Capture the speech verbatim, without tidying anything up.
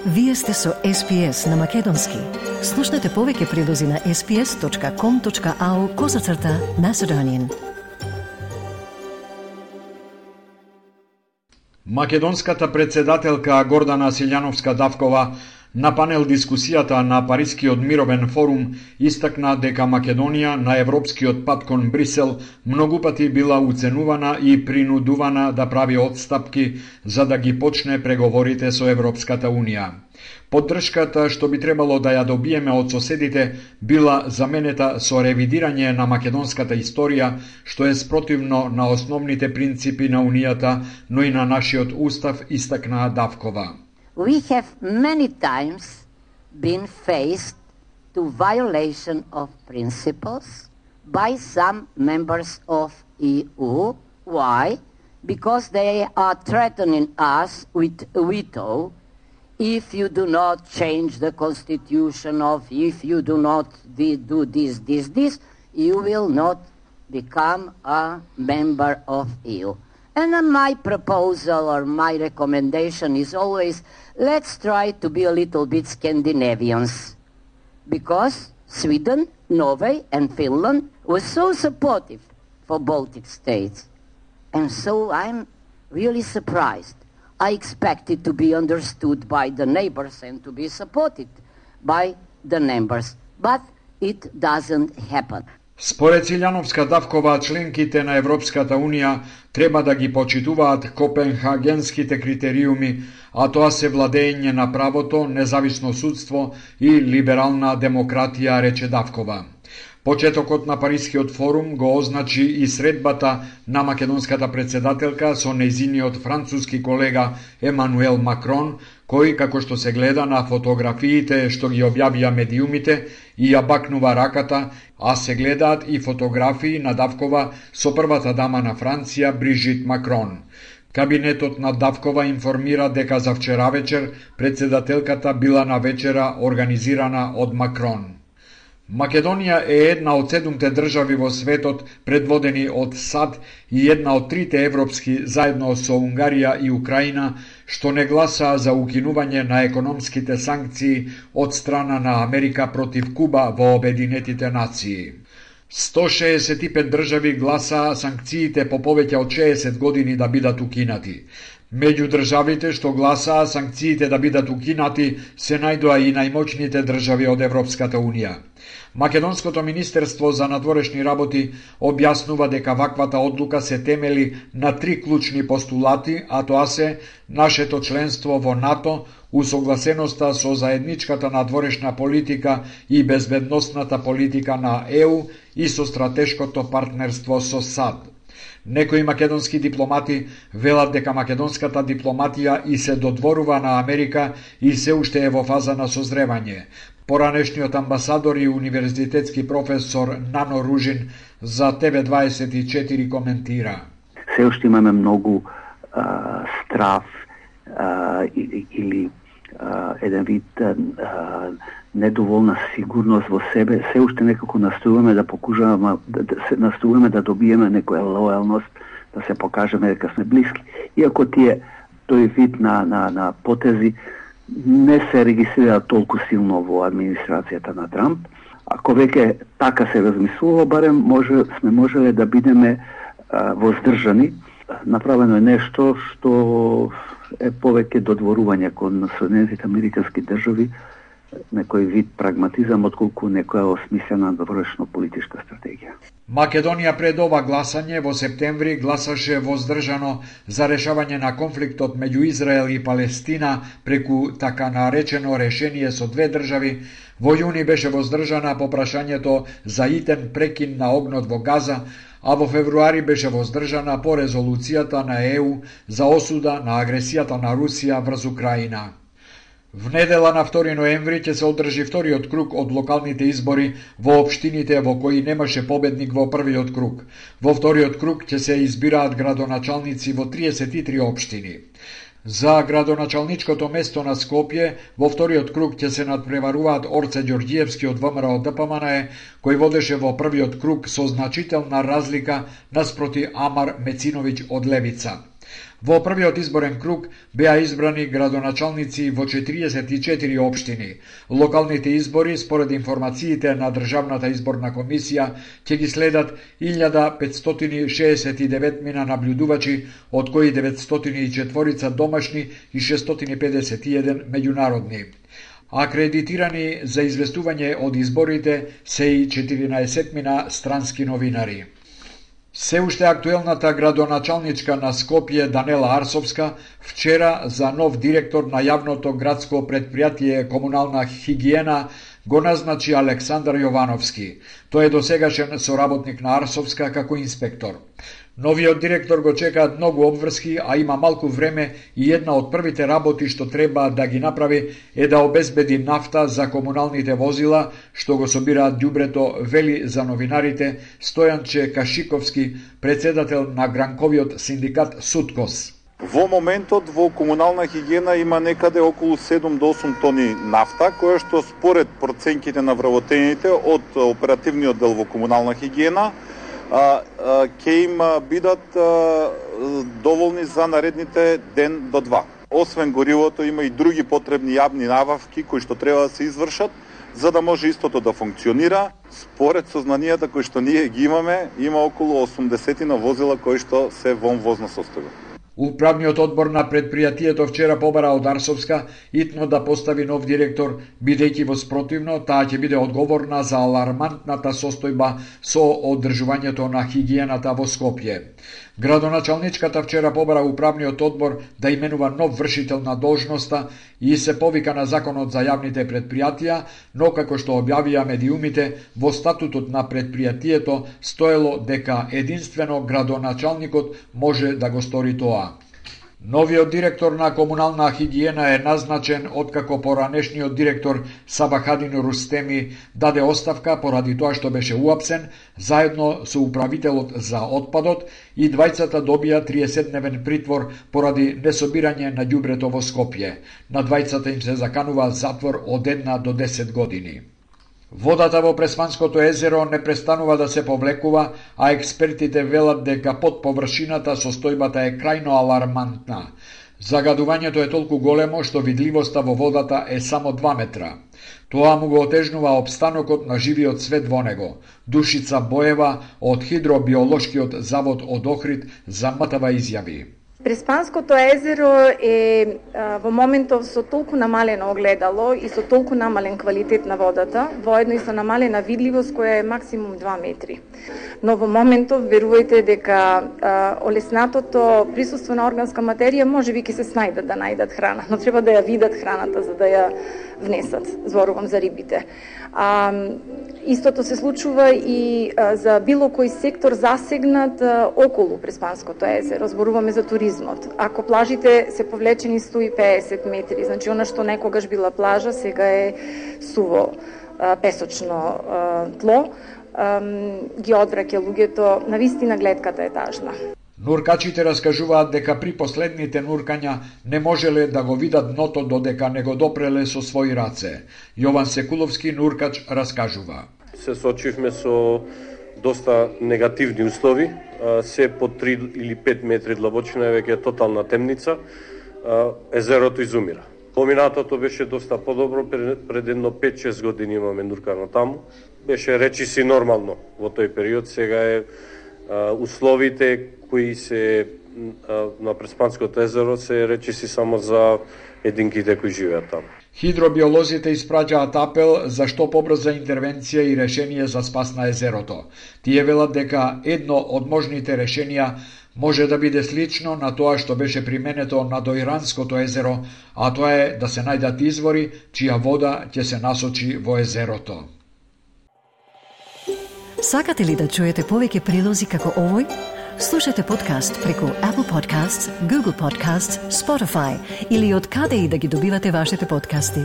Вие сте со Ес Пи Ес на Македонски. Слушнете повеќе прилози на ес пи ес точка ком точка ау козацрта Macedonian. Македонската председателка Гордана Силјановска-Давкова на панел дискусијата на Парискиот мировен форум истакна дека Македонија на европскиот пат кон Брисел многу пати била уценувана и принудувана да прави отстапки за да ги почне преговорите со Европската Унија. Поддршката што би требало да ја добиеме од соседите била заменета со ревидирање на македонската историја, што е спротивно на основните принципи на Унијата, но и на нашиот устав, истакна Давкова. We have many times been faced to violation of principles by some members of E U. Why? Because they are threatening us with a veto if you do not change the constitution, of if you do not do this, this, this, you will not become a member of E U. And uh, my proposal or my recommendation is always, let's try to be a little bit Scandinavians. Because Sweden, Norway and Finland were so supportive for Baltic states. And so I'm really surprised. I expected to be understood by the neighbors and to be supported by the neighbors. But it doesn't happen. Според Силјановска-Давкова, членките на Европската Унија треба да ги почитуваат копенхагенските критериуми, а тоа се владење на правото, независно судство и либерална демократија, рече Давкова. Почетокот на Парискиот форум го означи и средбата на македонската председателка со нејзиниот француски колега Емануел Макрон, кој, како што се гледа на фотографиите што ги објавија медиумите, и ја бакнува раката, а се гледаат и фотографии на Давкова со првата дама на Франција, Брижит Макрон. Кабинетот на Давкова информира дека за вчера вечер председателката била на вечера организирана од Макрон. Македонија е една од седумте држави во светот предводени од САД и една од трите европски заедно со Унгарија и Украина што не гласаа за укинување на економските санкции од страна на Америка против Куба во Обединетите нации. сто шеесет и пет држави гласаа санкциите по повеќе од шеесет години да бидат укинати. Меѓу државите што гласаа санкциите да бидат укинати се најдоа и најмоćните држави од Европската Унија. Македонското министерство за надворешни работи објаснува дека ваквата одлука се темели на три клучни постулати, а тоа се нашето членство во НАТО, усогласеноста со заедничката надворешна политика и безбедносната политика на Е У и со стратешкото партнерство со САД. Некои македонски дипломати велат дека македонската дипломатија и се додворува на Америка и се уште е во фаза на созревање. Поранешниот амбасадор и универзитетски професор Нано Ружин за Те Ве дваесет и четири коментира. Се уште имаме многу а, страф а, или, или а, еден вид а, недоволна сигурност во себе. Се уште некако настојуваме да покажуваме да, да се настојуваме да добиеме некоја лојалност, да се покажеме дека сме блиски. Иако тие тој вид на на на потези не се регистрира толку силно во администрацијата на Трамп. Ако веќе така се размислува, барем може сме можеле да бидеме а, воздржани. Направено е нешто што е повеќе додворување кон Соединетите американски држави, некој вид прагматизам, отколку некоја осмислена довршно политичка стратегија. Македонија пред ова гласање во септември гласаше воздржано за решавање на конфликтот меѓу Израел и Палестина преку така наречено решение со две држави. Во јуни беше воздржана по прашањето за итен прекин на огнот во Газа, а во февруари беше воздржана по резолуцијата на Е У за осуда на агресијата на Русија врз Украина. Внедела на втори ноември ќе се одржи вториот круг од локалните избори во општините во кои немаше победник во првиот круг. Во вториот круг ќе се избираат градоначалници во триесет и три општини. За градоначалничкото место на Скопје во вториот круг ќе се надпреваруваат Орце Ѓорѓиевски од Вэ Ем Ер од Д П М Н Е, кој водеше во првиот круг со значителна разлика наспроти Амар Мециновиќ од Левица. Во првиот изборен круг беа избрани градоначалници во четириесет и четири општини. Локалните избори, според информациите на Државната изборна комисија, ќе ги следат илјада петстотини шеесет и девет мина наблюдувачи, од кои деветстотини и четири домашни и шестстотини педесет и еден меѓународни. Акредитирани за известување од изборите се и четиринаесет мина странски новинари. Се уште актуелната градоначалничка на Скопје Данела Арсовска вчера за нов директор на јавното градско предпријатие Комунална хигиена го назначи Александар Јовановски. Тој е досегашен соработник на Арсовска како инспектор. Новиот директор го чекаат многу обврски, а има малку време и една од првите работи што треба да ги направи е да обезбеди нафта за комуналните возила, што го собираат ѓубрето, вели за новинарите Стојанче Кашиковски, председател на гранковиот синдикат Суткос. Во моментот во комунална хигиена има некаде околу седум до осум тони нафта, која што според проценките на вработените од оперативниот дел во комунална хигиена ќе им бидат а, доволни за наредните ден до два. Освен горивото има и други потребни јавни набавки кои што треба да се извршат за да може истото да функционира. Според сознанијата кои што ние ги имаме, има околу осумдесет возила кои што се во возна состојба. Управниот одбор на предпријатието вчера побара од Арсовска итно да постави нов директор, бидејќи во спротивно таа ќе биде одговорна за алармантната состојба со одржувањето на хигиената во Скопје. Градоначалничката вчера побара управниот одбор да именува нов вршител на должноста и се повика на законот за јавните предпријатија, но како што објавија медиумите, во статутот на предпријатието стоело дека единствено градоначалникот може да го стори тоа. Новиот директор на комунална хигиена е назначен откако поранешниот директор Сабахадин Рустеми даде оставка поради тоа што беше уапсен, заедно со управителот за отпадот, и двајцата добија триесетдневен притвор поради несобирање на ѓубрето во Скопје. На двајцата им се заканува затвор од една до десет години. Водата во Преспанското езеро не престанува да се повлекува, а експертите велат дека под површината состојбата е крајно алармантна. Загадувањето е толку големо што видливоста во водата е само два метра. Тоа му го отежнува опстанокот на живиот свет во него. Душица Боева од Хидробиолошкиот завод од Охрид за МТВ изјави. Преспанското езеро е а, во моментов со толку намалено огледало и со толку намален квалитет на водата, воедно и со намалена видливост која е максимум два метри. Но во моментов верувајте дека а, олеснатото присуство на органска материја можеби ќе се снајдат да најдат храна, но треба да ја видат храната за да ја внесат, зборувам за рибите. А, истото се случува и а, за било кој сектор засегнат а, околу Преспанското езеро, зборуваме за туризмот. Ако плажите се повлечени сто и педесет метри, значи она што некогаш била плажа, сега е суво а, песочно а, тло, а, ги одвраќа луѓето, навистина гледката е тажна. Нуркачите раскажуваат дека при последните нуркања не можеле да го видат дното додека не го допреле со своји раце. Јован Секуловски, нуркач, раскажува. Се соочивме со доста негативни услови, се по три или пет метри длабочина е веќе тотална темница, езерото изумира. Поминатото беше доста подобро, пред едно пет-шест години имаме нуркано таму. Беше речиси нормално во тој период, сега е условите кои се на Преспанското езеро се речиси само за единките кои живеат таму. Хидробиолозите испраќаат апел за што побрза интервенција и решение за спас на езерото. Тие велат дека едно од можните решенија може да биде слично на тоа што беше применето на Доиранското езеро, а тоа е да се најдат извори чија вода ќе се насочи во езерото. Сакате ли да чуете повеќе прилози како овој? Слушате подкаст преку Apple Podcasts, Google Podcasts, Spotify или од каде и да ги добивате вашите подкасти.